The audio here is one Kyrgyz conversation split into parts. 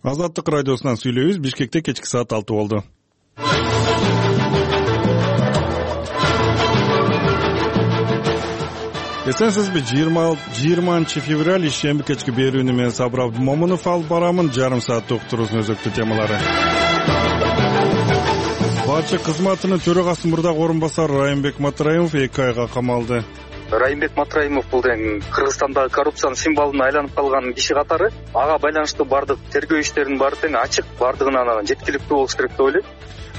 Азаттык радиосунан сүйлөйбүз. Бишкекте кечки саат 6 болду. Эсенсизби? 20-февраль ишемби кечки берүүнү мен Сабыр Абдумомунов алып барамын. Жарым сааттык уктуруубуздун өзөктүү темалары. Башчы кызматынын төрагасы мурдагы орун басары Райымбек Матраимов 2 айга камалды. Райымбек Матраимов бул Кыргызстандагы коррупциянын символуна айланып калган киши катары. Ага байланыштуу бардык тергөө иштеринин баары ачык, бардыгынан жеткиликтүү болуш керек деп ойлойм.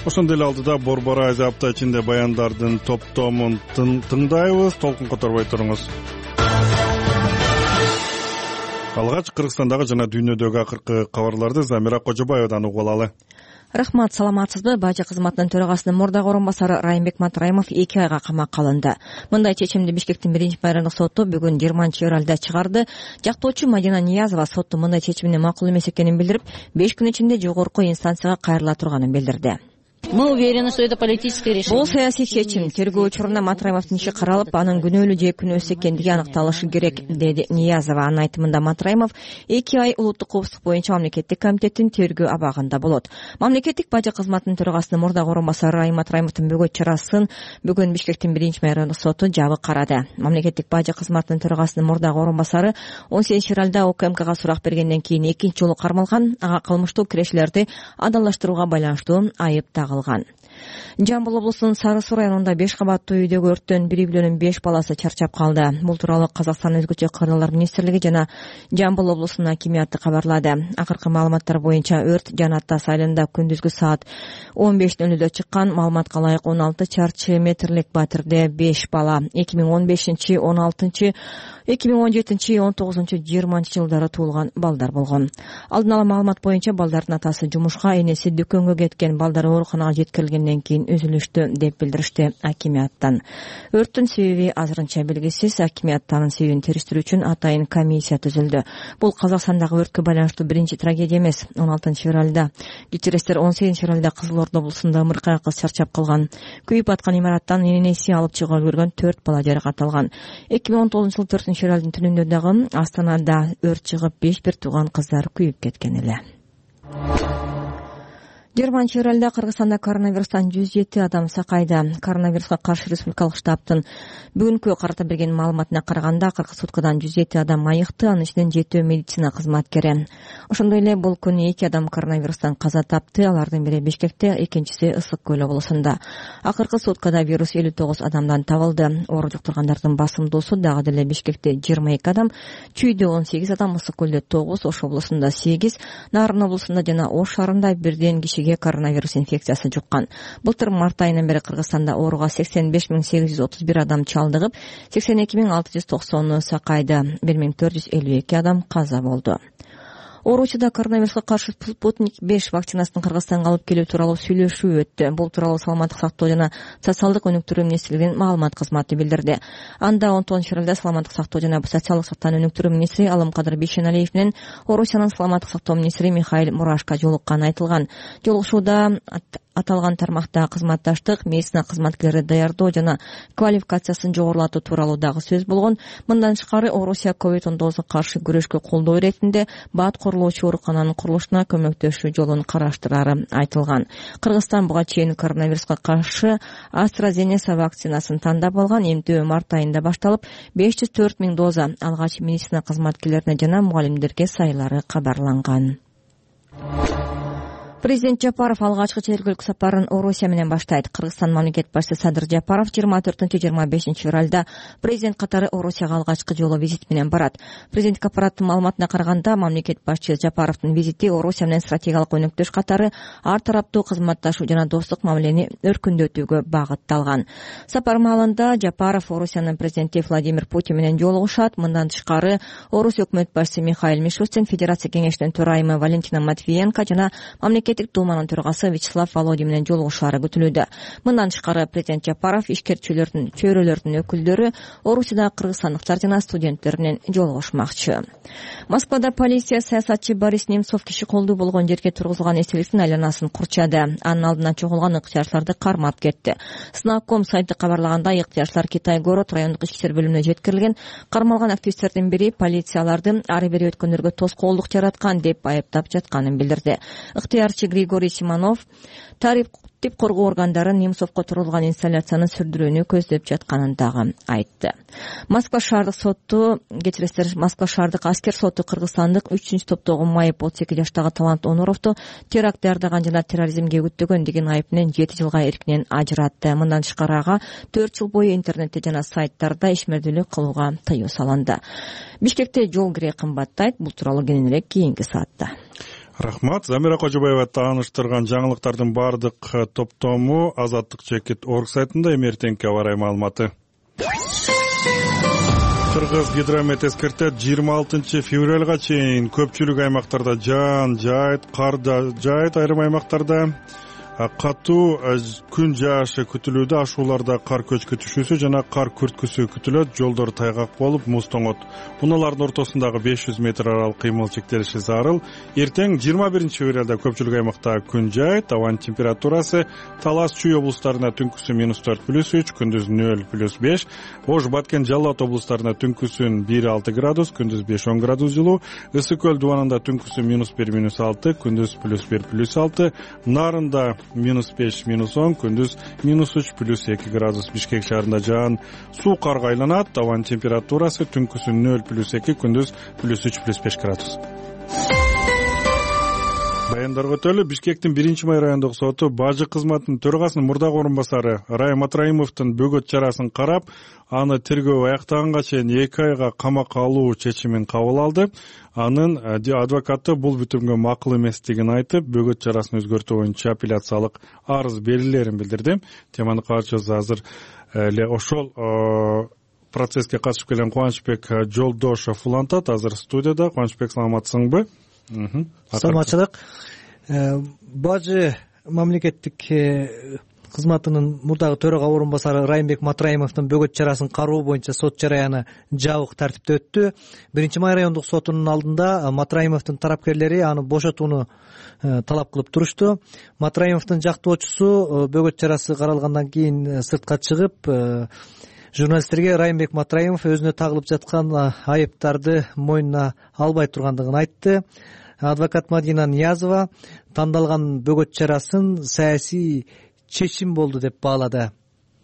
Ошондой эле алдыда борбор айза апта ичинде баяндардын топтомун тыңдайбыз. Толкун которбой туруңуз. Алгач Кыргызстандагы жана дүйнөдөгү акыркы кабарларды Замира Кожобаевадан угуп алалы. Рахмат, саламатсызбы? Бажы кызматынын төрагасынын мурдагы орун басары Райымбек Матраимов 2 айга камакка алынды. Мындай чечимди Бишкектин 1-майрандык соту бүгүн 20-февралда чыгарды. Жактоочу Мадина Ниязова соттун мындай чечимине макул эмес экенин билдирип, 5 күн ичинде жогорку инстанцияга кайрыла турганын билдирди. Мы уверены, что это политическое решение. Бул саясий чечим. Тергөө учурунда Матраимовдун иши каралып, анын күнөөлүү же күнөөсүз экендиги аныкталышы керек, деди Ниязова. Анын айтымында Матраимов 2 ай улуттук коопсуздук боюнча мамлекеттик комитеттин тергөө абагында болот. Мамлекеттик бажы кызматынын төрагасынын мурдагы орун басары Райым Матраимовдун бөгөт чарасын бүгүн Бишкектин 1-майрандык соту жабык карады. Мамлекеттик бажы кызматынын төрагасынын мурдагы орун басары 18-февралда УКМКга сурак бергенден кийин экинчи жолу кармалган. Ага кылмыштуу кирешилерди адалдаштырууга байланыштуу айып тагылган. Жамбыл облусунун Сары Суу районунда 5 кабаттуу үйдөгү өрттөн 1,5 баласы чарчап калды. Бул тууралуу Казакстан өзгөчө кырлар министрлиги жана Жамбыл облусунун акимияты кабарлады. Акыркы маалыматтар боюнча өрт Жанаттас айылында күндүзгү саат 15:00 чыккан. Маалыматка ылайык 16 чарчы метрлик батирде 5 бала 2015, 16, 2017, 19, 20 жылдары туулган балдар болгон. Алдын ала маалымат боюнча балдардын атасы жумушка, энеси дүкөнгө кеткен. Балдар ооруканага жеткирилгенден кийин үзүлүштү деп билдиришти акимияттан. Өрттүн себеби азырынча белгисиз. Акимият анын себебин териштирүү үчүн атайын комиссия түзүлдү. Бул Казакстандагы өрткө байланыштуу биринчи трагедия эмес. 16-февралда, кечиресиздер, 18-февралда Кызыл Ордо облусунда ымыркай кыз чарчап калган. Күйүп аткан имараттан энеси алып чыгууга үлгөргөн 4 бала жаракат алган. 2019 жылы 4-февралдын түнүндө дагы Астанада өрт чыгып 5 бир тууган кыздар күйүп кеткен эле. 20-февралда Кыргызстанда коронавирустан 107 адам сакайды. Коронавируска каршы республикалык штабтын бүгүнкү карата берген маалыматына караганда, акыркы суткадан 107 адам айыкты, анын ичинен 7 медицина кызматкери. Ошондой эле бул күнү 2 адам коронавирустан каза тапты. Алардын бири Бишкекте, экинчиси Ысык көл облусунда. Акыркы суткада вирус 59 адамдан табылды. Оору жуктургандардын басымдуусу дагы деле Бишкекте 22 адам, Чүйдө 18 адам, Ысык көлдө 9, Ош облусунда 8, Нарын облусунда жана Ош шаарында бирден кишиге коронавирус инфекциясы жуккан. Былтыр март айынан бери Кыргызстанда ооруга 85 831 адам чалдыгып, 82 690 сакайды. 1452 адам каза болду. Ооручуда коронавируска каршы Спутник 5 вакцинасынын Кыргызстанга алып келүү тууралуу сүйлөшүү өттү. Бул тууралуу Саламаттык сактоо жана социалдык өнүктүрүү министрлигинин маалымат кызматы билдирди. Анда 19-февралда Саламаттык сактоо жана социалдык сактоо өнүктүрүү министри Алымкадыр Бейшеналиев менен Орусиянын Саламаттык сактоо министри Михаил Мурашко жолукканы айтылган. Жолугушууда аталган тармакта кызматташтык, медицина кызматкерлери даярдоо жана квалификациясын жогорулатуу тууралуу дагы сөз болгон. Мындан тышкары Орусия COVID-19 каршы күрөшкө колдоо иретинде баат курулуучу оорукананын курулушуна көмөктөшүү жолун караштырары айтылган. Кыргызстан буга чейин коронавируска каршы AstraZeneca вакцинасын тандап алган. Эмтөө март айында башталып, 504 000 доза алгач медицина кызматкерлерине жана мугалимдерге сайылары кабарланган. Президент Жапаров алгачкы чет сапарын Орусия менен баштайт. Кыргызстан мамлекет башчысы Садыр Жапаров 24-25 февралда президент катары Орусияга алгачкы жолу визит менен барат. Президенттик аппараттын маалыматына караганда, мамлекет башчысы Жапаровдун визити Орусия менен стратегиялык өнөктөш катары ар тараптуу кызматташуу жана достук мамилени өркүндөтүүгө багытталган. Сапар маалында Жапаров Орусиянын президенти Владимир Путин менен жолугушат. Мындан тышкары Орусия өкмөт башчысы Михаил Мишустин, Федерация кеңешинин төрайымы Валентина Матвиенко жана мамлекет мамлекеттик думанын төрагасы Вячеслав Володин менен жолугушаары күтүлүүдө. Мындан тышкары президент Жапаров ишкерчилердин, чөйрөлөрдүн өкүлдөрү, Орусияда кыргызстандыктар жана студенттер менен жолугушмакчы. Москвада полиция саясатчы Борис Немцов киши колдуу болгон жерге тургузулган эстеликтин айланасын курчады. Анын алдынан чогулган ыктыярчыларды кармап кетти. Снаком сайты кабарлагандай, ыктыярчылар Китай-город райондук ички иштер бөлүмүнө жеткирилген. Кармалган активисттердин бири полицияларды ары бери өткөндөргө тоскоолдук жараткан деп айыптап жатканын билдирди. Ыктыярчы Григорий Симонов тартип коргоо органдары Немцовго турулган инсталляцияны сүрдүрүүнү көздөп жатканын дагы айтты. Москва шаардык аскер соту кыргызстандык 3-ч топтогу майып 32 жаштагы Талант Онуровду теракт даярдаган жана терроризмге үгүттөгөн деген айып менен 7 жылга эркинен ажыратты. Мындан тышкары ага 4 жыл бою интернетте жана сайттарда ишмердүүлүк кылууга тыюу салынды. Бишкекте жол кире кымбаттайт. Бул тууралуу кененирээк кийинки саатта. Рахмат. Замира Кожобаева тааныштырган жаңылыктардын баардык топтому Азаттык.org сайтында. Эртеңки аба ырайы маалыматы. Кыргыз гидромет эскертет 26 февралга чейин көпчүлүк аймактарда жаан жайыт, кар да жайыт, айрым аймактарда катуу күн жаашы күтүлүүдө. Ашууларда кар көчкү түшүүсү жана кар күрткүсү күтүлөт. Жолдор тайгак болуп, муз тоңот. Унаалардын ортосундагы 500 метр аралык кыймыл чектелиши зарыл. Эртең 21 февралда көпчүлүк аймакта күн жайыт. Абанын температурасы Талас, Чүй облустарына түнкүсү -4+3, күндүз 0+5. Ош, Баткен, Жалал Абад облустарына түнкүсүн 1-6 градус, күндүз 5-10 градус жылуу. Ысык көл дубанында түнкүсү -1-6, күндүз +1+6. Нарында -5-10, күндүз -3+2 градус. Бишкек шаарында жаан суу карга айланат. Абанын температурасы түнкүсү 0+2, күндүз +3+5 градус. Баяндарга өтөлү. Бишкектин 1-май райондук соту бажы кызматынын төрагасынын мурдагы орун басары Райым Матраимовдун бөгөт чарасын карап, аны тергөө аяктаганга чейин 2 айга камакка алуу чечимин кабыл алды. Анын адвокаты бул бүтүмгө макул эместигин айтып, бөгөт чарасын өзгөртүү боюнча апелляциялык арыз берилерин билдирди. Теманы катчысы азыр эле ошол процесске катышып келген Кубанычбек Жолдошов улантат. Азыр студияда. Кубанычбек, саламатсыңбы? Саламатчылык. Бажы мамлекеттик кызматынын мурдагы төрага орун басары Райымбек Матраимовдун бөгөт чарасын кароо боюнча сот жараяны жабык тартипте өттү. 1-май райондук сотунун алдында Матраимовдун тарапкерлери аны бошотууну талап кылып турушту. Матраимовдун жактоочусу бөгөт чарасы каралгандан кийин сыртка чыгып, журналисттерге Райымбек Матраимов өзүнө тагылып жаткан айыптарды мойнуна албай тургандыгын айтты. Адвокат Мадина Ниязова тандалган бөгөт чарасын саясий чечим болду деп баалады.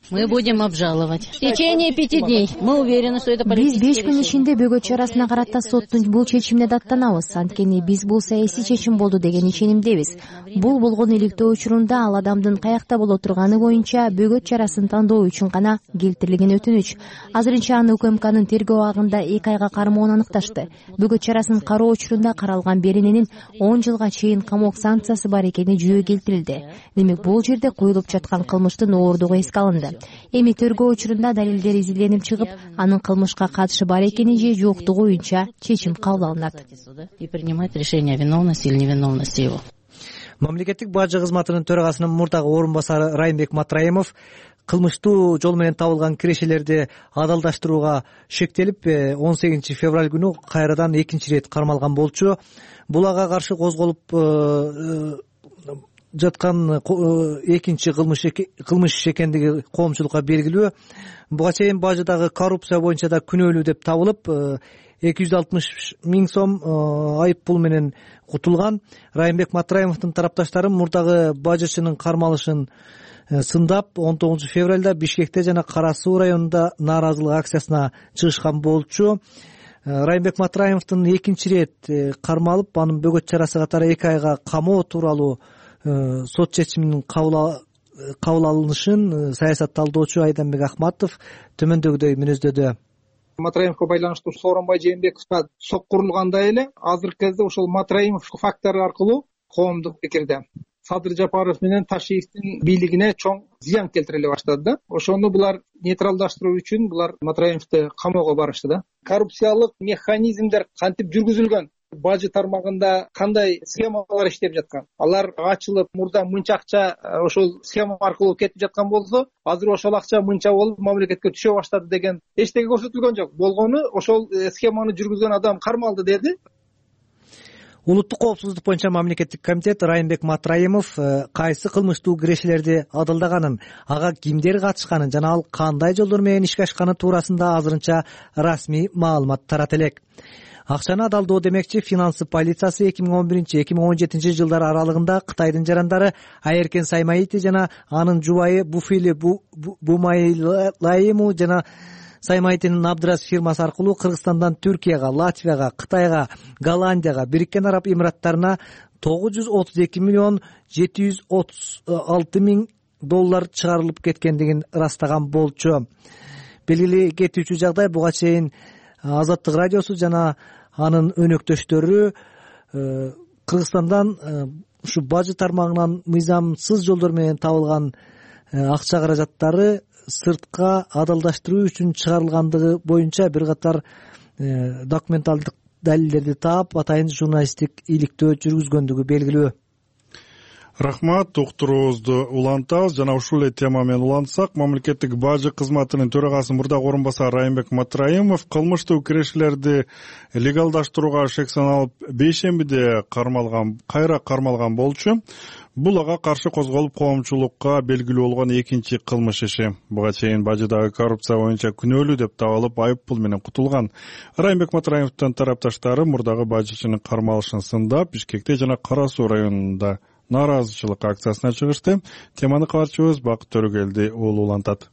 Мы будем обжаловать. В течение 5 дней. Мы уверены, что это политическое решение. Биз 5 күн ичинде бөгөт чарасына карата соттун бул чечимине даттанабыз. Анткени биз бул саясий чечим болду деген ишенимдебиз. Бул болгон иликтөө учурунда ал адамдын каякта боло турганы боюнча бөгөт чарасын тандоо үчүн гана келтирилген өтүнүч. Азырынча аны УКМКнын тергөө абагында 2 айга кармоон аныкташты. Бөгөт чарасын кароо учурунда каралган берененин 10 жылга чейин камок санкциясы бар экени жүйө келтирилди. Демек бул жерде коюлуп жаткан кылмыштын ооругу эске алынды. Эми тергөө учурунда далилдер изилденип чыгып, анын кылмышка катышы бар экени же жоктугу боюнча чечим кабыл алынат. И принимать решение о виновности или невиновности его. Мамлекеттик бажы кызматынын төрагасынын мурдагы орун басары Райымбек Матраимов кылмыштуу жол менен табылган кирешелерди адалдаштырууга шектелип, 18 февраль күнү кайрадан 2 рет кармалган болчу. Бул ага каршы козголуп жаткан экинчи кылмыш экендиги коомчулукка белгилүү. Буга чейин бажыдагы коррупция боюнча да күнөөлүү деп табылып, 260 000 сом айып пул менен кутулган. Райымбек Матраимовдун тарапташтары мурдагы бажычынын кармалышын сындап, 19 февралда Бишкекте жана Кара Суу районунда нааразылык акциясына чыгышкан болчу. Райымбек Матраимовдун 2 рет кармалып, анын бөгөт чарасы катары 2 айга камоо тууралуу сот чечиминин кабыл алынышын саясатталдоочу Айданбек Ахматов төмөндөгүдөй мүнөздөдү. Матраимовго байланыштуу Сооронбай Жээнбековго соккурулгандай эле азыркы кезде ошол Матраимов фактору аркылуу коомдук пикирде Садыр Жапаров менен Ташиевдин бийлигине чоң зыян келтире баштады да. Ошону булар нейтралдаштыруу үчүн булар Матраимовду камоого барышты да. Коррупциялык механизмдер кантип жүргүзүлгөн, бажы тармагында кандай схемалар иштеп жаткан, алар ачылып мурда мынча акча ошол схема аркылуу кетип жаткан болсо азыр ошол акча мынча болуп мамлекетке түшө баштады деген эчтеке көрсөтүлгөн жок. Болгону ошол схеманы жүргүзгөн адам кармалды деди. Улуттук коопсуздук боюнча мамлекеттик комитет Райымбек Матраимов кайсы кылмыштуу кирешелерди адалдаганын, ага кимдер катышканын жана ал кандай жолдор менен ишке ашканы туурасында азырынча расмий маалымат тарата элек. Акчаны адалдоо демекчи финансы полициясы 2011-2017 жылдар аралыгында Кытайдын жарандары Айеркен Саймаити жана анын жубайы Буфили Бумайлайму жана Саймайтинин Абдрас фирмасы аркылуу Кыргызстандан Түркияга, Латвияга, Кытайга, Голландияга, Бириккен Араб Эмираттарына 932 миллион 736 миң доллар чыгарылып кеткендигин ырастаган болчу. Белгилүү кетүүчү жагдай, буга чейин Азаттык радиосу жана анын өнөктөштөрү Кыргызстандан ушу бажы тармагынан мыйзамсыз жолдор менен табылган акча каражаттары сыртка адалдаштыруу үчүн чыгарылгандыгы боюнча бир катар документалдык далилдерди таап, атайын журналисттик иликтөө жүргүзгөндүгү белгилүү. Рахмат, уктуруубузду улантабыз. Жана ушул эле тема менен улантсак, мамлекеттик бажы кызматынын төрагасы мурдагы орун басары Райымбек Матраимов кылмыштуу кирешелерди легалдаштырууга шек саналып бейшембиде кайра кармалган болчу. Бул ага каршы козголуп коомчулукка белгилүү болгон экинчи кылмыш иши. Буга чейин бажыдагы коррупция боюнча күнөөлүү деп табылып айып пул менен кутулган Райымбек Матраимовдун тарапташтары мурдагы бажычынын кармалышын сындап, Бишкекте жана Кара Суу районунда нааразычылык акциясына чыгышты. Теманы кабарчыбыз Бакыт Төрөгелди улантат.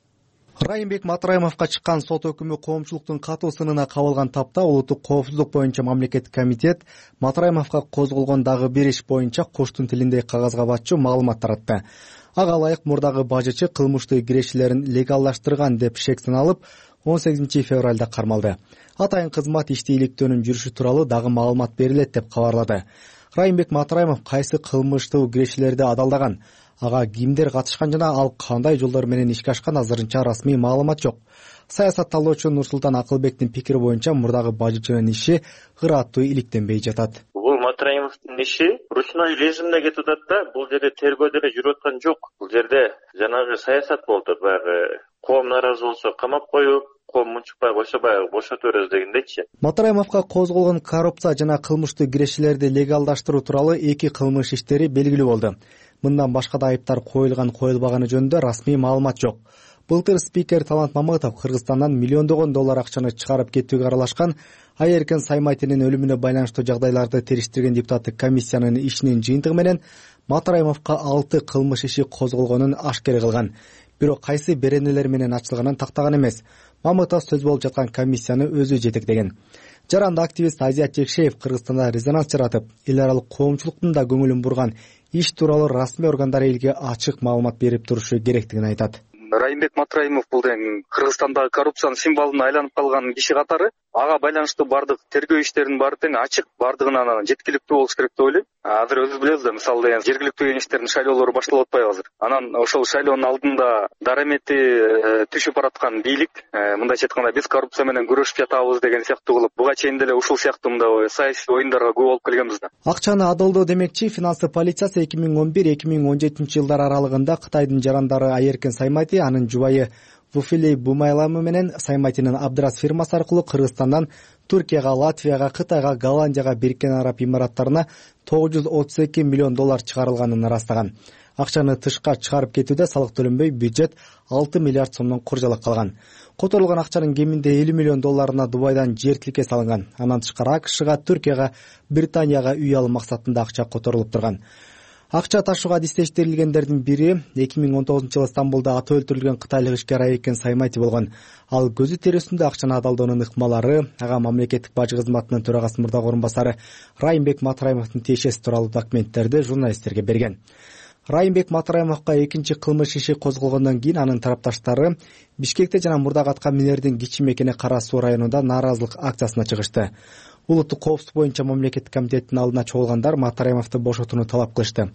Райымбек Матраимовго чыккан сот өкүмү коомчулуктун катуу сынына кабылган тапта улуттук коопсуздук боюнча мамлекеттик комитет Матраимовго козголгон дагы бир иш боюнча коштун тилиндей кагазга батчу маалымат таратты. Ага ылайык мурдагы бажычы кылмыштуу кирешелерин легалдаштырган деп шек саналып 18 февралда кармалды. Атайын кызмат ишти иликтөөнүн жүрүшү тууралуу дагы маалымат берилет деп кабарлады. Райымбек Матраимов кайсы кылмыштуу кирешелерди адалдаган, ага кимдер катышкан жана ал кандай жолдор менен ишке ашкан азырынча расмий маалымат жок. Саясатталуучу Нурсултан Акылбектин пикири боюнча мурдагы бажычынын иши ыраттуу иликтенбей жатат. Бул Матраимовдун иши ручной режимде кетип атат да, бул жерде тергөө деле жүрүп аткан жок. Бул жерде жанагы саясат болду, баягы коом нааразы болсо камап коюп, коом мунчукпай койсо баягы бошото беребиз дегендейчи. Матраимовго козголгон коррупция жана кылмыштуу кирешелерди легалдаштыруу тууралуу эки кылмыш иштери белгилүү болду. Мындан башка да айыптар коюлганы жөнүндө расмий маалымат жок. Былтыр спикер Талант Мамытов Кыргызстандан миллиондогон доллар акчаны чыгарып кетүүгө аралашкан Айеркен Саймайтинин өлүмүнө байланыштуу жагдайларды териштирген депутаттык комиссиянын ишинин жыйынтыгы менен Матраимовго 6 кылмыш иши козголгонун ашкер кылган. Бирок кайсы беренелер менен ачылганын тактаган эмес. Мамытов сөз болуп жаткан комиссияны өзү жетектеген. Жаранды активист Азият Жекшеев Кыргызстанда резонанс жаратып, эл аралык коомчулуктун да көңүлүн бурган иш тууралуу расмий органдар элге ачык маалымат берип турушу керектигин айтат. Райымбек Матраимов бул Кыргызстандагы коррупциянын символуна айланып калган киши катары, ага байланыштуу бардык тергөө иштеринин баары тең ачык, бардыгынан жеткиликтүү болуш керек деп ойлойм. Азыр өзү билебиз да, мисалы жергиликтүү кеңештердин шайлоолору башталып атпайбы азыр. Анан ошол шайлоонун алдында дарамети түшүп бараткан бийлик, мындайча айтканда биз коррупция менен күрөшүп жатабыз деген сыяктуу кылып, буга чейин деле ушул сыяктуу мындай саясий оюндарга көп болуп келгенбиз да. Акчаны адалдоо демекчи финансы полициясы 2011-2017 жылдар аралыгында Кытайдын жарандары Айеркен Саймайти, анын жубайы Буфили Бумайлайму менен Саймайтинин Абдрас фирмасы аркылуу Кыргызстандан Түркияга, Латвияга, Кытайга, Голландияга, Бириккен Араб Эмираттарына 932 миллион доллар чыгарылганын ырастаган. Акчаны тышка чыгарып кетүүдө салык төлөнбөй бюджет 6 миллиард сомдон куржалак калган. Которулган акчанын кеминде 50 миллион долларына Дубайдан жер тилке салынган. Анан тышкары АКШга, Түркияга, Британияга үй алуу максатында акча которулуп турган. Акча ташууга адистештирилгендердин бири 2019 жылы Стамбулда аты өлтүрүлгөн кытайлык ишкер Айеркен Саймайти болгон. Ал көзү терөсүндө акчаны адалдоонун ыкмалары ага мамлекеттик бажы кызматынын төрагасы мурдагы орун басары Райымбек Матраимовдун тиешеси тууралуу документтерди журналисттерге берген. Райымбек Матраимовго экинчи кылмыш иши козголгондон кийин анын тарапташтары Бишкекте жана мурдагы атка минердин кичи мекени Кара Суу районунда нааразылык акциясына чыгышты. Улуттук коопсуздук боюнча мамлекеттик комитеттин алдына чогулгандар Матраимовду бошотууну талап кылышты.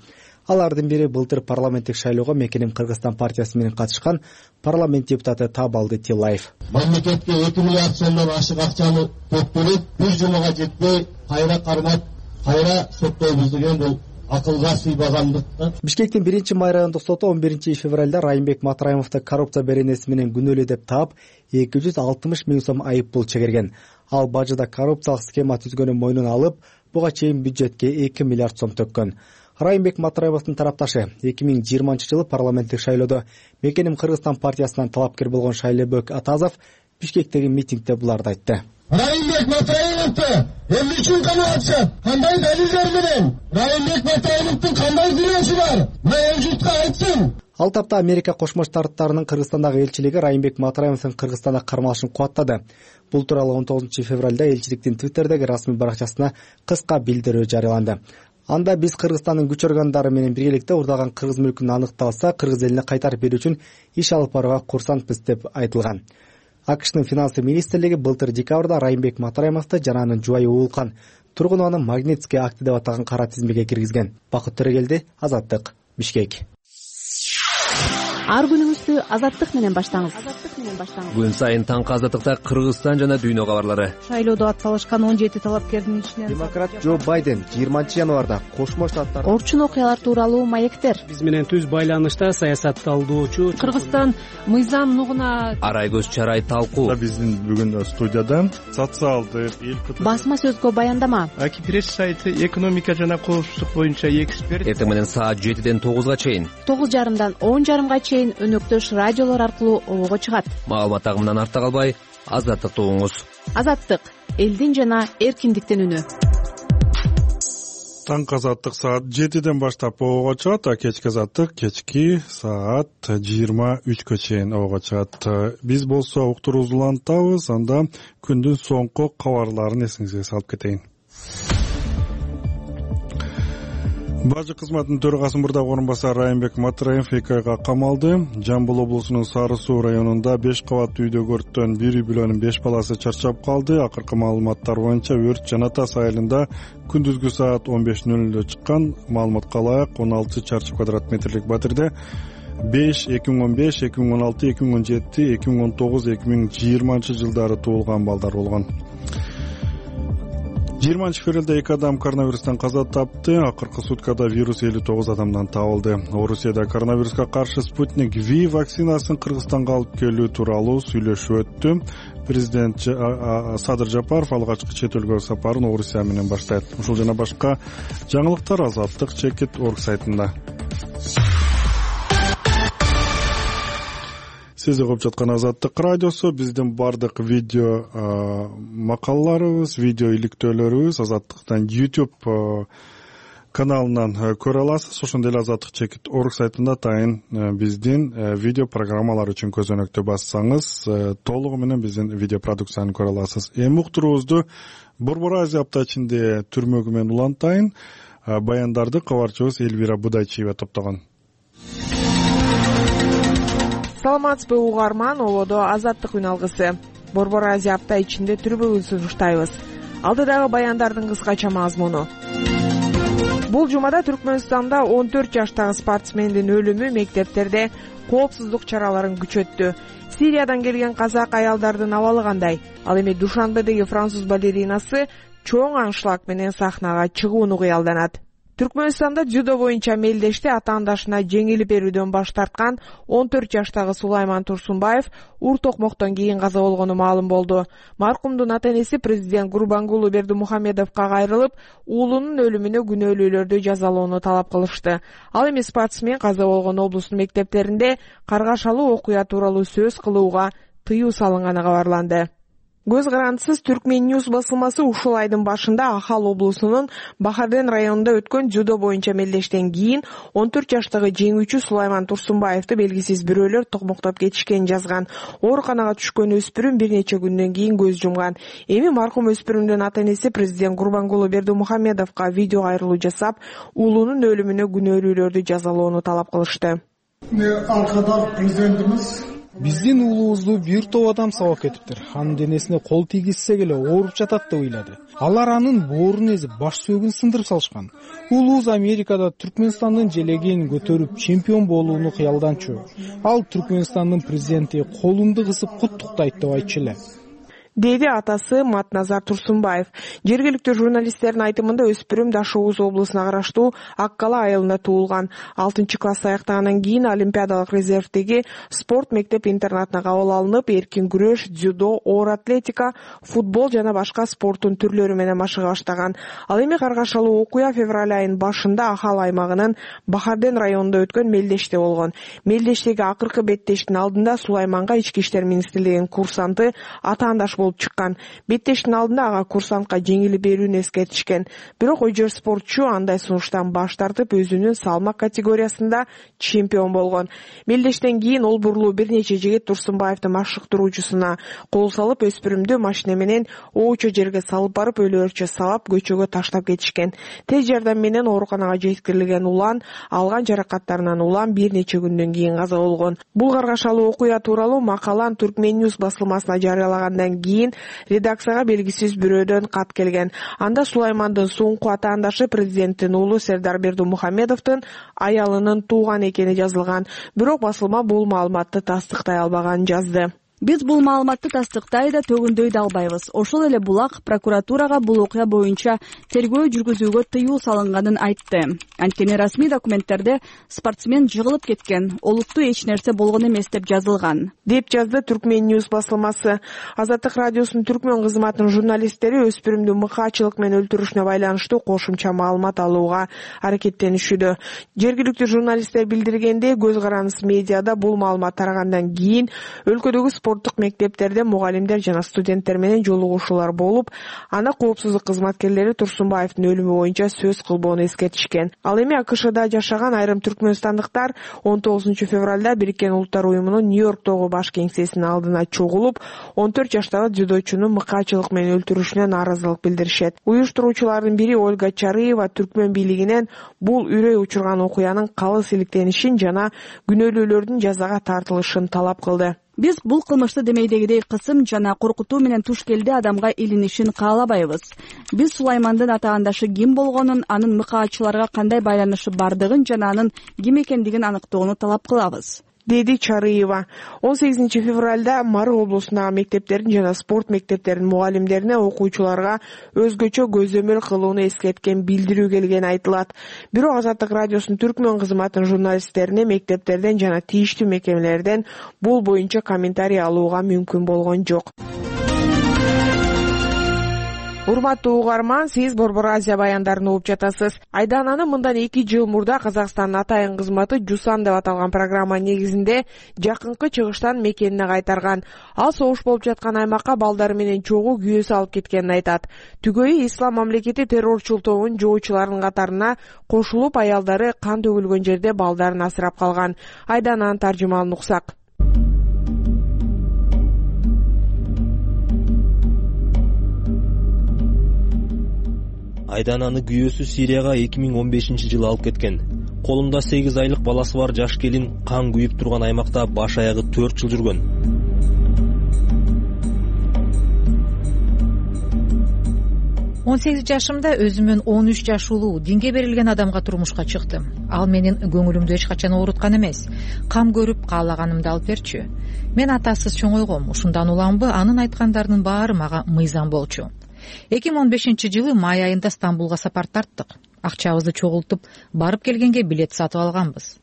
Алардын бири былтыр парламенттик шайлоого Мекеним Кыргызстан партиясы менен катышкан парламент депутаты Табалды Тилаев. Мамлекетке 2 миллиард сомдон ашык акчаны төктүрүп, бир жумага жетпей кайра кармап, кайра соттойбуз деген бул акылга сыйбагандык. Бишкектин 1-Май райондук соту 11-февралда Райымбек Матраимовду коррупция беренеси менен күнөөлүү деп таап 260 миң сом айып пул чегерген. Ал бажыда коррупциялык схема түзгөнүн мойнуна алып, буга чейин бюджетке 2 миллиард сом төккөн. Райымбек Матраимовдун тарапташы 2020-жылы парламенттик шайлоодо Мекеним Кыргызстан партиясынан талапкер болгон Шайлебек Атазов Бишкектеги митингде буларды айтты. Райымбек Матраимовду эмне үчүн камап, кандай далилдер менен? Райымбек Матраимовдун кандай күнөөсү бар? Эл журтка айтсын. Ал тапта Америка Кошмо Штаттарынын Кыргызстандагы элчилиги Райымбек Матраимовдун Кыргызстанда кармалышын кубаттады. Бул тууралуу 19-февралда элчиликтин Твиттердеги расмий баракчасына кыска билдирүү жарыяланды. Анда биз Кыргызстандын күч органдары менен биргеликте урдалган кыргыз мүлкүн аныкталса, кыргыз элине кайтарып берүү үчүн иш алып барууга курсантпыз деп айтылган. АКШнын финансы министрлиги былтыр декабрда Райымбек Матраимовду жана анын жубайы Уулкан тургун аны Магнитский акты деп аталган кара тизмеге киргизген. Бакыт Төрөгелди, Азаттык, Бишкек. Ар күнүңүздү Азаттык менен баштаңыз. Күн сайын таңкы Азаттыкта Кыргызстан жана дүйнө кабарлары. Шайлоодо атсалышкан 17 талапкердин ичинен Демократ Джо Байден 20-январда Кошмо Штаттар орчун окуялар тууралуу маектер. Биз менен түз байланышта саясатталдоочу Кыргызстан мыйзам нугуна Арай көз чарай талкуу. Биздин бүгүн студияда социалдык басма сөзгө баяндама. Аки пресс сайты экономика жана коопсуздук боюнча эксперт. Эртең менен саат 7ден 9га чейин, 9:30дан 10:30га чейин өнөктөш радиолор аркылуу обого чыгат. Маалымат агымынан артта калбай, Азаттыкты угуңуз. Азаттык — элдин жана эркиндиктин үнү. Таңкы Азаттык саат 7ден баштап обого чыгат, а кечки Азаттык кечки саат 23гө чейин обого чыгат. Биз болсо уктуруубузду улантабыз, анда күндүн соңку кабарларын эсиңизге салып кетейин. Бажы кызматынын төрагасынын мурдагы орун басары Райымбек Матраимов 2 айга камалды. Жамбыл облусунун Сары Суу районунда 5 кабаттуу үйдөгү өрттөн бир үй бүлөнүн 5 баласы чарчап калды. Акыркы маалыматтар боюнча өрт Жана Тас айылында күндүзгү саат 15:00 чыккан. Маалыматка ылайык 16 чарчы квадрат метрлик батирде 5, 2015, 2016, 2017, 2019, 2020 жылдары туулган балдар болгон. 20-февралда 2 адам коронавирустан каза тапты. Акыркы суткада вирус 59 адамдан табылды. Орусияда коронавируска каршы Спутник V вакцинасын Кыргызстанга алып келүү тууралуу сүйлөшүү өттү. Президент Садыр Жапаров алгачкы чет өлкөгө сапарын Орусия менен баштайт. Ушул жана башка жаңылыктар Азаттык.org сайтында. Сиз угуп жаткан Азаттык радиосу. Биздин бардык видео макалаларыбыз, видео иликтөөлөрүбүз Азаттыктан YouTube каналынан көрө аласыз. Ошондой эле Азаттык.org сайтында тайын биздин видео программалар үчүн көзөнөктү бассаңыз, толугу менен биздин видео продукцияны көрө аласыз. Эми уктуруубузду Борбор Азия апта ичинде түрмөгү менен улантайын. Баяндарды кабарчыбыз Элвира Будайчиева топтогон. Саламатсызбы угарман, ободо Азаттык үн алгысы. Борбор Азия апта ичинде түрмөгүн сунуштайбыз. Алдыдагы баяндардын кыскача мазмуну. Бул жумада Түркмөнстанда 14 жаштагы спортсмендин өлүмү мектептерде коопсуздук чараларын күчөттү. Сириядан келген казак аялдардын абалы кандай? Ал эми Душанбедеги француз балеринасы чоң аншлаг менен сахнага чыгууну кыялданат. Түркмөнстанда дзюдо боюнча мелдеште атаандашына жеңилип берүүдөн баш тарткан 14 жаштагы Сулайман Турсунбаев ур токмоктон кийин каза болгону маалым болду. Маркумдун ата-энеси президент Гурбангулу Бердимухамедовго кайрылып, уулунун өлүмүнө күнөөлүүлөрдү жазалоону талап кылышты. Ал эми спортсмен каза болгон облустун мектептеринде каргашалуу окуя тууралуу сөз кылууга тыюу салынганы кабарланды. Көз карандысыз Түркмен Ньюс басылмасы ушул айдын башында Ахал облусунун Бахарден районунда өткөн дзюдо боюнча мелдештен кийин 14 жаштагы жеңүүчү Сулайман Турсунбаевди белгисиз бирөөлөр токмоктоп кетишкенин жазган. Ооруканага түшкөн өспүрүм бир нече күндөн кийин көз жумган. Эми маркум өспүрүмдүн ата-энеси президент Гурбангулу Бердимухамедовго видео кайрылуу жасап, уулунун өлүмүнө күнөөлүүлөрдү жазалоону талап кылышты. Алкадар президентimiz Биздин уулубузду бир топ адам сабап кетиптир. Анын денесине кол тийгизсек эле ооруп жатат деп ыйлады. Алар анын боорун эзип, баш сөөгүн сындырып салышкан. Уулубуз Америкада Түркмөнстандын желегин көтөрүп чемпион болууну кыялданчу. Ал Түркмөнстандын президенти колумду кысып куттуктайт деп айтчу эле, деди атасы Матназар Турсунбаев. Жергиликтүү журналисттердин айтымында өспүрүм Даш Ооз облусуна караштуу Ак Кала айылында туулган. 6-класс аяктагандан кийин Олимпиадалык резервдеги спорт мектеп-интернатына кабыл алынып, эркин күрөш, дзюдо, оор атлетика, футбол жана башка спорттун түрлөрү менен машыга баштаган. Ал эми каргашалуу окуя февраль айынын башында Ахал аймагынын Бахарден районунда өткөн Мелдеште болгон. Мелдештеги акыркы беттештин алдында Сулайманга Ички иштер министрлигинин курсанты атаандаш болуп чыккан. Беттештин алдында ага курсантка жеңилип берүүнү эскертишкен. Бирок ойжор спортчу андай сунуштан баш тартып, өзүнүн салмак категориясында чемпион болгон. Мелдештен кийин ол бурулуу бир нече жигит Турсунбаевдин машыктыруучусуна кол салып, өспүрүмдү машина менен оочо жерге салып барып, өлөөрчө сабап, көчөгө таштап кетишкен. Тез жардам менен ооруканага жеткирилген улан, алган жаракаттарынан улам бир нече күндөн кийин каза болгон. Бул каргашалуу окуя тууралуу макалан Turkmen-News басылмасына жарыялагандан кийин редакцияга белгисиз бирөөдөн кат келген. Анда Сулаймандын соңку атаандашы президенттин уулу Сердар Бердумухамедовдун аялынын тууган экени жазылган. Бирок басылма бул маалыматты тастыктай албаганын жазды. Биз бул маалыматты тастыктай да төгүндөй да албайбыз. Ошол эле булак прокуратурага бул окуя боюнча тергөө жүргүзүүгө тыюу салынганын айтты. Анткени расмий документтерде спортсмен жыгылып кеткен, олуттуу эч нерсе болгон эмес деп жазылган, деп жазды Turkmen-News басылмасы. Азаттык радиосунун түркмөн кызматынын журналисттери өспүрүмдү мыкаачылык менен өлтүрүшүнө байланыштуу кошумча маалымат алууга аракеттенишүүдө. Жергиликтүү журналисттер билдиргендей, көз карандысы медиада бул маалымат тарагандан кийин өлкөдөгү спорттук мектептерде мугалимдер жана студенттер менен жолугушуулар болуп, аны коопсуздук кызматкерлери Турсунбаевдин өлүмү боюнча сөз кылбоону эскертишкен. Ал эми АКШда жашаган айрым түркмөнстандыктар 19 февралда Бириккен Улуттар уюмунун Нью-Йорктогу баш кеңсесинин алдына чогулуп, 14 жаштагы дзюдочуну мыкаачылык менен өлтүрүшүнө нааразылык билдиришет. Уюштуруучулардын бири Ольга Чарыева түркмөн бийлигинен бул үрөй учурган окуянын калыс иликтенишин жана күнөөлүүлөрдүн жазага тартылышын талап кылды. Биз бул кылмышты демейдегидей кысым жана коркутуу менен туш келди адамга илинишин каалабайбыз. Биз Сулаймандын атаандашы ким болгонун, анын мыкаачыларга кандай байланышы бардыгын жана анын ким экендигин аныктоону талап кылабыз, деди Чарыева. 18 февралда Мары облусундагы мектептердин жана спорт мектептеринин мугалимдерине окуучуларга өзгөчө көзөмөл кылууну эскерткен билдирүү келгени айтылат. Бирок Азаттык радиосунун түркмөн кызматынын журналисттерине мектептерден жана тийиштүү мекемелерден бул боюнча комментарий алууга мүмкүн болгон жок. Урматтуу угарман, сиз Борбор Азия баяндарын угуп жатасыз. Айдананы мындан 2 жыл мурда Казакстандын атайын кызматы Жусан деп аталган программа негизинде жакынкы чыгыштан мекенине кайтарган. Ал согуш болуп жаткан аймакка балдары менен чогуу күйөөсү алып кеткенин айтат. Түгөйү Ислам мамлекети террорчул тобунун жоочуларынын катарына кошулуп, аялдары кан төгүлгөн жерде балдарын асырап калган. Айдананын таржымалын уксак. Айдананы күйөөсү Сирияга 2015-жылы алып кеткен. Колунда 8 айлык баласы бар жаш келин кан күйүп турган аймакта баш аягы 4 жыл жүргөн. Он 8 жашымда өзүмөн 13 жаш улуу динге берилген адамга турмушка чыктым. Ал менин көңүлүмдү эч качан ооруткан эмес. Кам көрүп каалаганымды алып берчү. Мен атасыз чоңойгом. Ушундан уламбы анын айткандарынын баары мага мыйзам болчу. 2015-жылы май айында Стамбулга сапар тарттык. Акчабызды чогултуп, барып келгенге билет сатып алганбыз.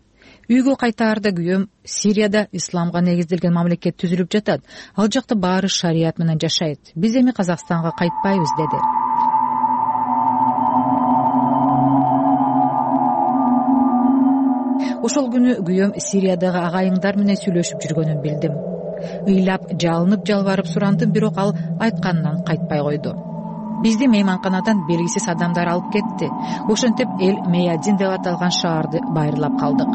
Үйгө кайтаарда күйөөм Сирияда исламга негизделген мамлекет түзүлүп жатат. Ал жакта баары шарият менен жашайт. Биз эми Казакстанга кайтпайбыз деди. Ошол күнү күйөөм Сириядагы агайыңдар менен сүйлөшүп жүргөнүн билдим. Ыйлап, жалынып, жалбарып сурандым, бирок ал айтканынан кайтпай койду. Бизди мейманканадан белгисиз адамдар алып кетти. Ошентип Эл Мейадин деп аталган шаарды байырлап калдык.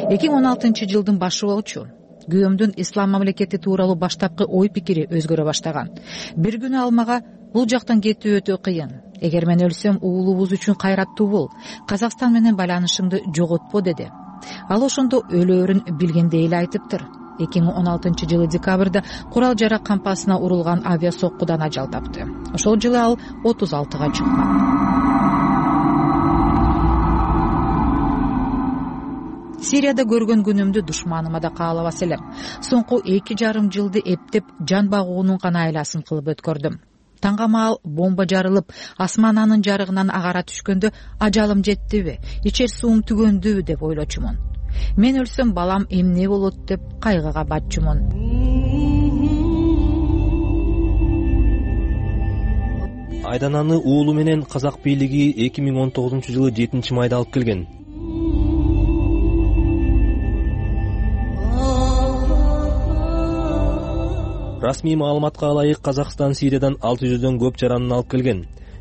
2016-жылдын башы болчу. Күйөөмдүн ислам мамлекети тууралуу баштапкы ой пикири өзгөрө баштаган. Бир күнү ал мага бул жактан кетүү өтө кыйын. Эгер мен өлсөм, уулубуз үчүн кайраттуу бол. Казакстан менен байланышыңды жоготпо деди. Ал ошондо өлөөрүн билгендей эле айтыптыр. 2016-жылы декабрда курал жарак кампасына урулган авиасоккудан ажал тапты. Ошол жылы ал 36-га чыккан. Сирияда көргөн күнүмдү душманыма да каалабас элем. Соңку 2,5 жылды эптеп жан багуунун гана айласын кылып өткөрдүм. Таңга маал бомба жарылып, асмананын жарыгынан агара түшкөндө ажалым жеттиби, ичер суум түгөндүбү деп ойлочумун. Мен өлсөм балам эмне болот деп кайгыга батчумун. Айдананы уулу менен казак бийлиги 2019-жылы 7-майда алып келген. Расмий маалыматка ылайык Казакстан Сириядан 600дөн көп жаранын алып келген.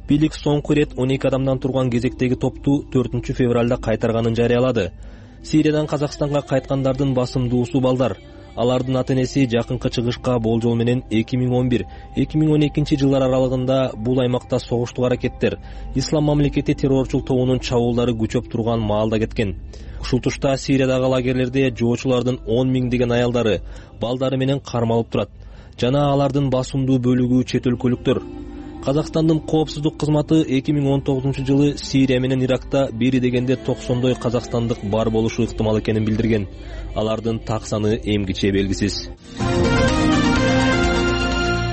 Бийлик соңку ирет 12 адамдан турган кезектеги топту 4-февралда кайтарганын жарыялады. Сириядан Казакстанга кайткандардын басымдуусу балдар. Алардын ата-энеси жакынкы чыгышка болжол менен 2011-2012 жылдар аралыгында бул аймакта согуштук аракеттер, Ислам мамлекети террорчул тобунун чабуулдары күчөп турган маалда кеткен. Ушул тушта Сириядагы лагерлерде жоочулардын 10 миңдеген аялдары, балдары менен кармалып турат. Жана алардын басымдуу бөлүгү чет өлкөлүктөр. Казакстандын коопсуздук кызматы 2019-жылы Сирия менен Иракта бери дегенде 90дой казакстандык бар болушу ыктымал экенин билдирген. Алардын так саны эмгиче белгисиз.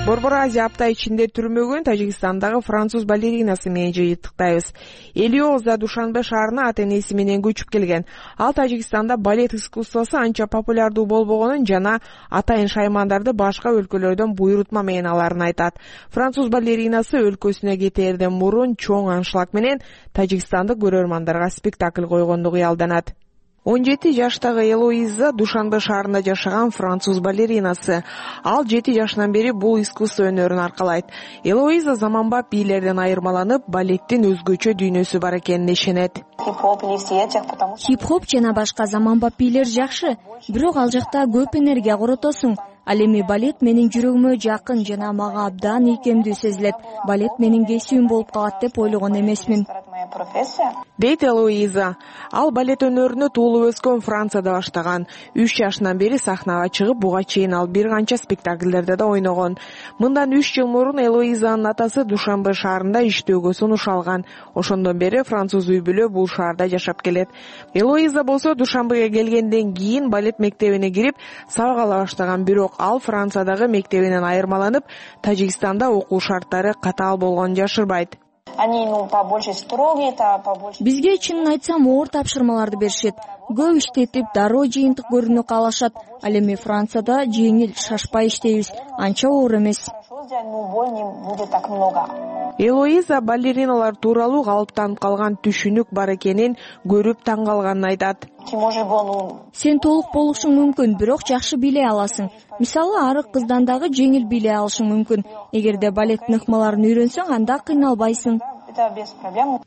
Борбор Азия апта ичинде түрмөгөн Тажикстандагы француз балеринасы менен жыйынтыктайбыз. Элиоза Душанбе шаарына ата-энеси менен көчүп келген. Ал Тажикстанда балет искусствосу анча популярдуу болбогонун жана атайын шаймандарды башка өлкөлөрдөн буйрутма менен аларын айтат. Француз балеринасы өлкөсүнө кетээрден мурун чоң аншлаг менен тажикстандык көрөрмандарга спектакль койгонду кыялданат. 17 жаштагы Элоиза Душанбе шаарында жашаган француз балеринасы. Ал 7 жашынан бери бул искусство өнөрүн аркалайт. Элоиза заманбап бийлерден айырмаланып, балеттин өзгөчө дүйнөсү бар экенине ишенет. Хип-хоп жана башка заманбап бийлер жакшы, бирок ал жакта көп энергия коротосуң. Ал эми балет менин жүрөгүмө жакын жана мага абдан ийкемдүү сезилет. Балет менин кесибим болуп калат деп ойлогон эмесмин. Дейт Элоиза. Ал балет өнөрүнө туулуп өскөн Францияда баштаган. 3 жашынан бери сахнага чыгып, буга чейин ал бир канча спектакльдерде да ойногон. Мындан 3 жыл мурун Элоизанын атасы Душанбе шаарында иштөөгө сунуш алган. Ошондон бери француз үй бүлө бул шаарда жашап келет. Элоиза болсо Душанбеге келгенден кийин балет мектебине кирип, сабак ала баштаган, бирок ал Франциядагы мектебинен айырмаланып, Тажикстанда окуу шарттары катаал болгонун жашырбайт. Бизге чынын айтсам оор тапшырмаларды беришет. Көп иштетип, дароо жыйынтык көрүүнү каалашат. Ал эми Францияда жеңил, шашпай иштейбиз. Анча оор эмес. Элоиза балериналар тууралуу калыптанып калган түшүнүк бар экенин көрүп таң калганын айтат. Сен толук болушуң мүмкүн, бирок жакшы бийлей аласың. Мисалы, арык кыздан дагы жеңил бийлей алышың мүмкүн. Эгерде балеттин ыкмаларын үйрөнсөң, анда кыйналбайсың.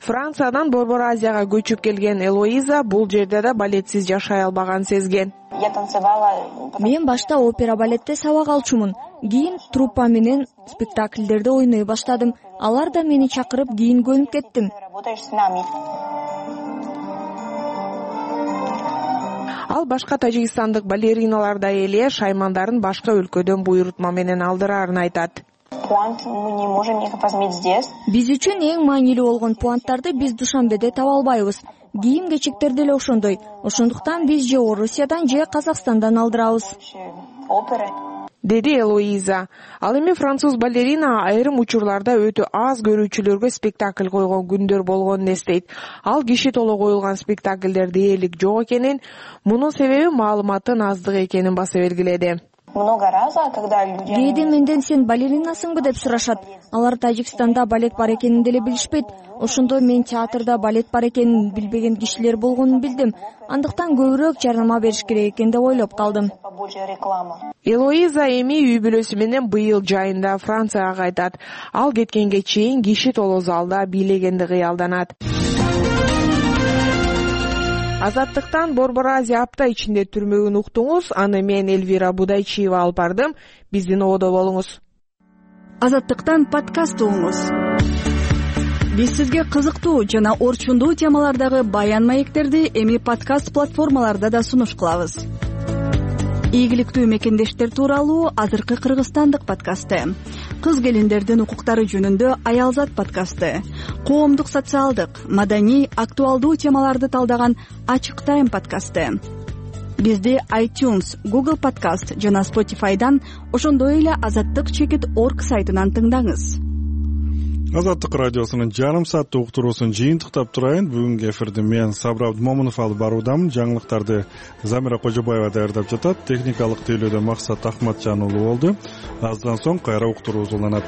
Франциядан Борбор Азияга көчүп келген Элоиза бул жерде да балетсиз жашай албаганын сезген. Мен башта опера балетте сабак алчумун. Кийин труппа менен спектакльдерде ойной баштадым. Алар да мени чакырып, кийин көнүп кеттим. Ал башка тажикстандык балериналардай эле шаймандарын башка өлкөдөн буйрутма менен алдырарын айтат. Биз үчүн эң маанилүү болгон пуанттарды биз Душанбеде таба албайбыз. Кийим-кечектер деле ошондой. Ошондуктан биз же Орусиядан же Казакстандан алдырабыз. Деди Элоиза. Ал эми француз балерина айрым учурларда өтө аз көрүүчүлөргө спектакль койгон күндөр болгонун эстейт. Ал киши толо коюлган спектакльдер дээрлик жок экенин, мунун себеби маалыматтын аздыгы экенин баса белгиледи. Кээде менден сен балеринасыңбы деп сурашат. Алар Тажикстанда балет бар экенин деле билишпейт. Ошондо мен театрда балет бар экенин билбеген кишилер болгонун билдим. Андыктан көбүрөөк жарнама бериш керек экен деп ойлоп калдым. Элоиза эми үй бүлөсү менен быйыл жайында Францияга кайтат. Ал кеткенге чейин киши толо залда бийлегенди кыялданат. Азаттыктан Борбор Азия апта ичинде түрмөгүн уктуңуз. Аны мен Элвира Будайчиева алып бардым. Биздин ободо болуңуз. Азаттыктан подкаст угуңуз. биз сизге кызыктуу жана орчундуу темалардагы баян маектерди эми подкаст платформаларда да сунуш кылабыз. Ийгиликтүү мекендештер тууралуу азыркы кыргызстандык подкасты, кыз келиндердин укуктары жөнүндө Аялзат подкасты, коомдук, социалдык, маданий, актуалдуу темаларды талдаган Ачык Тайм подкасты. Бизди iTunes, Google Podcast жана Spotify'дан, ошондой эле azattyk.org сайтынан тыңдаңыз. Азаттык радиосунун жарым сааттык уктуруусун жыйынтыктап турайын. Бүгүнкү эфирди мен Сабыр Абдымомунов алып баруудамын. Жаңылыктарды Замира Кожобаева даярдап жатат. Техникалык тейлөөдө Максат Ахматжан уулу болду. Аздан соң кайра уктуруу уланат.